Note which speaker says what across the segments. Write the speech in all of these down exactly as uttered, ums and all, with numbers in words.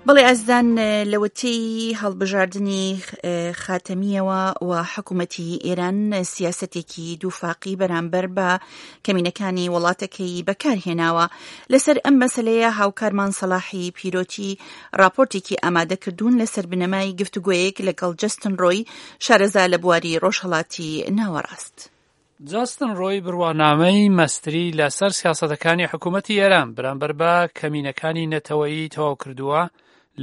Speaker 1: بەڵێ ئازیزان، لەوەتەی هەڵبژاردنی خاتەمییەوە و حکوومەتی ئێران سیاسەتێکی دووفاقی بەرامبەر بە کەمینەکانی وڵاتەکەی بەکارهێناوە. لەسەر ئەم مەسلەیە هاوکارمان سەلاحی پیرۆتی راپۆرتێکی ئامادە کردوون لەسەر بنەمای گفتوگۆیەک لەگەڵ جەستن ڕۆی، شارەزا لە بواری ڕۆژهەڵاتی ناوەڕاست.
Speaker 2: جاستن ڕۆی بڕوانامەی مەستری لەسەر سیاسەتەکانی حکوومەتی ئێران بەرامبەر بە کەمینەکانی نەتەوەیی تەواو کردووە.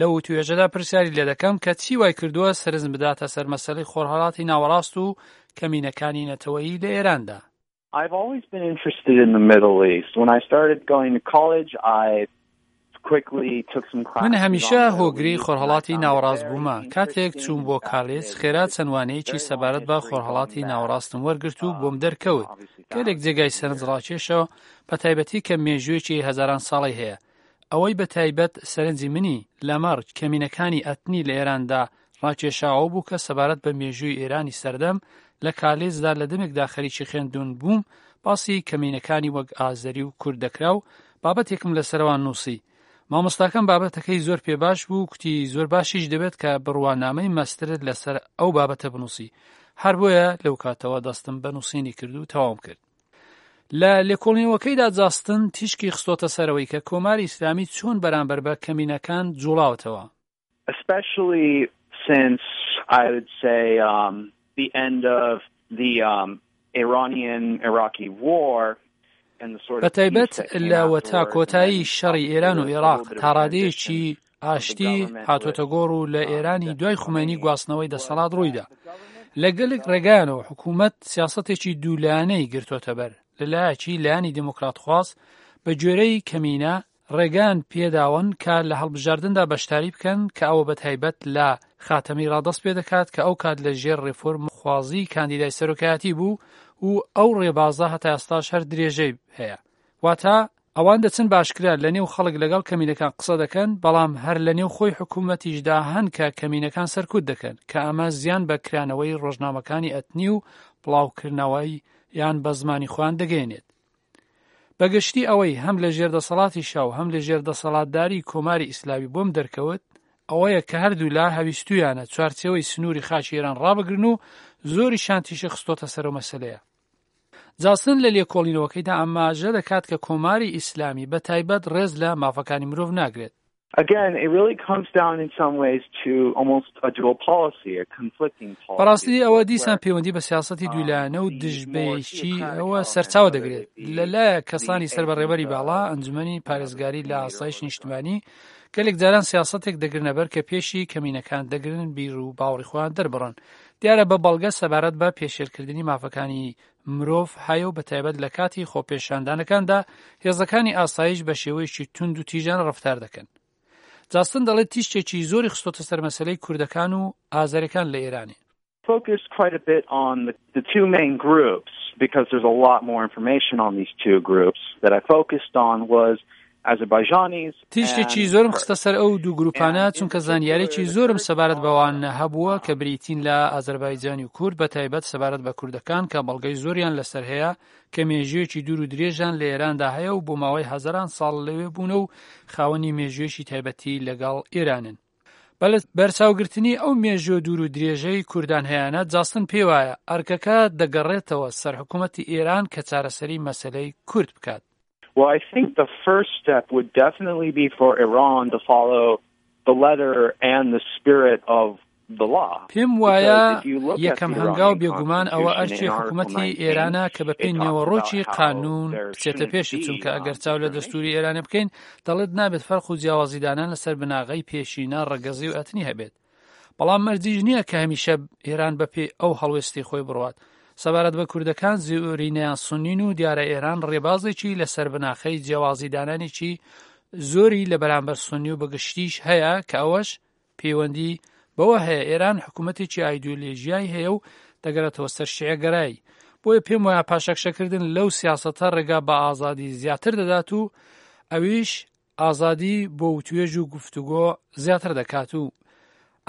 Speaker 2: لەو وتوێژەدا پرسیاری لێ دەکەم کە چی وای کردووە سەرنج بداتە سەر مەسەلەی خۆرهەڵاتی ناوەڕاست و کەمینەکانی نەتەوەیی لە ئێراندا.
Speaker 3: I've always been interested in the Middle East. When I started going to college, I
Speaker 2: من هەمیشە هۆگری خۆرهەڵاتی ناوەڕاست بوومە. کاتێک چووم بۆ کالێج، خێرا چەند وانەیەکی سەبارەت بە خۆرهەڵاتی ناوەڕاستم وەرگرت و بۆم دەرکەوت گەلێک جێگای سەرنجڕاکێشە، بە تایبەتی کە مێژوویەکی هەزاران ساڵەی هەیە. ئەوەی بە تایبەت سەرنجی منی لەمەڕ کەمینەکانی ئەتنی لە ئێراندا ڕاکێشاوە بوو کە سەبارەت بە مێژووی ئێرانی سەردەم لە کالێجدا لە دەمێکدا خەریکی خوێندن بووم، باسی کەمینەکانی وەک ئازەری و کورد دەکرا و بابەتێکم لەسەرەوان نووسی. مامۆستاکەم بابەتەکەی زۆر پێ باش بوو، کوتی زۆر باشیش دەبێت کە بڕوانامەی مەسترت لەسەر ئەو بابەتە بنووسی. هەر بۆیە لەو کاتەوە دەستم بە نووسینی کرد و تەواوم کرد. لە لێکۆڵینەوەکەیدا جاستن تیشکی خستۆتە سەرەوەی کە کۆماری ئیسلامی چۆن بەرامبەر بە کەمینەکان جوڵاوتەوە.
Speaker 3: Especially since I would say um, the end of the um, Iranian-Iraqi war.
Speaker 2: بە تایبەت لەوەتا کۆتایی شەڕی ئێران و ئێراق تا ڕادەیەکی ئاشتی هاتۆتە گۆڕ و لە ئێرانی دوای خومەینی گواستنەوەی دەسەڵات ڕوویدا، لە گەلێک ڕێگایانەوە حکوومەت سیاسەتێکی دوولایەنەی گرتۆتە بەر. لەلایەکی لایەنی دێموکراتخواز بە گوێرەی کەمینە ڕێگان پێداون کە لە هەڵبژاردندا بەشداری بکەن، کە ئەوە بە تایبەت لە خاتەمی ڕادەست پێ دەکات کە ئەو کات لە ژێر ڕێفۆرم خوازی کاندیدای سەرۆکایەتی بوو و ئەو ڕێبازە هەتا ئێستاش هەر درێژەی هەیە. واتە ئەوان دەچن باشکرا لە نێو خەڵک لەگەڵ کەمینەکان قسە دەکەن، بەڵام هەر لە نێو خۆی حکوومەتیشدا هەن کە کەمینەکان سەرکوت دەکەن، کە ئەمە زیان بە کرانەوەی ڕۆژنامەکانی ئەتنی و بڵاوکردنەوەی یان بە زمانی خۆیان دەگەیەنێت. بەگشتی ئەوەی هەم لە ژێر دەسەڵاتی شا و هەم لە ژێر دەسەڵاتداری کۆماری ئیسلامی بۆم دەرکەوت ئەوەیە کە هەردوولا هەویستویانە چوارچێوەی سنووری خاکی ئێران ڕابگرن و زۆریشان تیشک خستۆتە سەر ئەو مەسەلەیە. جاستن لە لێکۆڵینەوەکەیدا ئاماژە دەکات کە کۆماری ئیسلامی بە تایبەت ڕێز لە مافەکانی مرۆڤ ناگرێت.
Speaker 3: Again, it really comes down in some ways to almost a dual policy, a conflicting policy.
Speaker 2: بەڕاستی ئەوە دیسان پەیوەندی بە سیاسەتی دوولایەنە و دژبەیەکی ئەوە سەرچاوە دەگرێت. لەلایە کەسانی سەر بە ڕێبەری باڵا، ئەنجومەنی پارێزگاری لە ئاسایش نیشتمانی، گەلێک جاران سیاسەتێک دەگرنەبەر کە پێشی کەمینەکان دەگرن بیر و باوەڕی خۆیان دەربڕن. دیارە بە بەڵگە سەبارەت بە پێشێلکردنی مافەکانی مرۆڤ هەیە و بە تایبەت لە کاتی خۆپێشاندانەکاندا هێزەکانی ئاسایش بە شێوەیەکی توند و تیژانە ڕەفتار دەکەن. جاستن دەڵێت تیشکێکی زۆری خستۆتە سەر مەسەلەی کوردەکان و ئازەرەکان لە ئێرانێ.
Speaker 3: Focused quite a bit on the, the two main groups because there's a lot more information on these two groups that I focused on was Azerbaijanis.
Speaker 2: تیشکێکی زۆرم خستە سەر ئەو دوو گروپانە چونکە زانیاریی زۆرم سەبارەت بەوان هەبووە کە بریتین لە ئازەربایجانی و کورد، بە تایبەت سەبارەت بە کوردەکان کە بەڵگەی زۆریان لەسەر هەیە کە مێژوویەکی دوور و درێژان لە ئێراندا هەیە و بۆ ماوەی هەزاران ساڵ لەوێ بوون و خاوەنی مێژوویەکی تایبەتی لەگەڵ ئێرانن. بە بەرچاوگرتنی ئەو مێژووە دوور و درێژەی کوردان هەیانە، جاستن پێی وایە ئەرکەکە دەگەڕێتەوە سەر حکوومەتی ئێران کە چارەسەری مەسەلەی کورد بکات.
Speaker 3: Well, I think the first step would definitely be for Iran to follow the letter and the spirit of the law.
Speaker 2: پێم وایە یەکەم هەنگاو بێگومان ئەوە ئەرکی حکوومەتی ئێرانە کە بە پێی نێوەڕۆکی قانون بچێتە پێشی، چونکە ئەگەر چاو لە دەستوری ئێرانە بکەین دەڵێت نابێت فەرق و جیاوازیدانان لەسەر بناغەی پێشینە ڕەگەزی و ئەتنی هەبێت. بەڵام مەرجیش نییە کە هەمیشە ئێران بەپێی ئەو هەڵوێستی خۆی بڕوات. سەبارەت بە کوردەکان زۆرینەیان سونین و دیارە ئێران ڕێبازێکی لەسەر بناخەی جیاوازی دانانێکی زۆری لە بەرامبەر سونی و بەگشتیش هەیە کە ئەوەش پەیوەندی بەوە هەیە ئێران حکوومەتێکی ئایدۆلۆژیای هەیە و دەگەڕێتەوە سەر شیعەگەرایی. بۆیە پێم وایە پاشەکشەکردن لەو سیاسەتە ڕێگا بە ئازادی زیاتر دەدات و ئەویش ئازادی بۆ وتوێژ و گفتوگۆ زیاتر دەکات و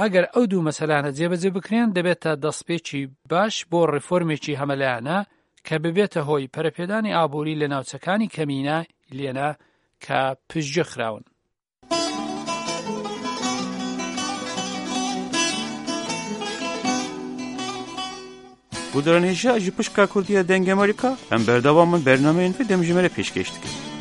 Speaker 2: ئەگەر ئەو دوو مەسەلانە جێبەجێ بکرێن دەبێتە دەستپێکی باش بۆ ڕێفۆرمێکی هەمەلایەنە کە ببێتە هۆی پەرەپێدانی ئابووری لە ناوچەکانی کەمینە لێنە کە پشتگوێ خراون.
Speaker 4: Guhdarên hêja ji pişka Kurdî ya Dengê Amerîka em berdewam in bernameyên vê demjimêrê pêşkêş dikin.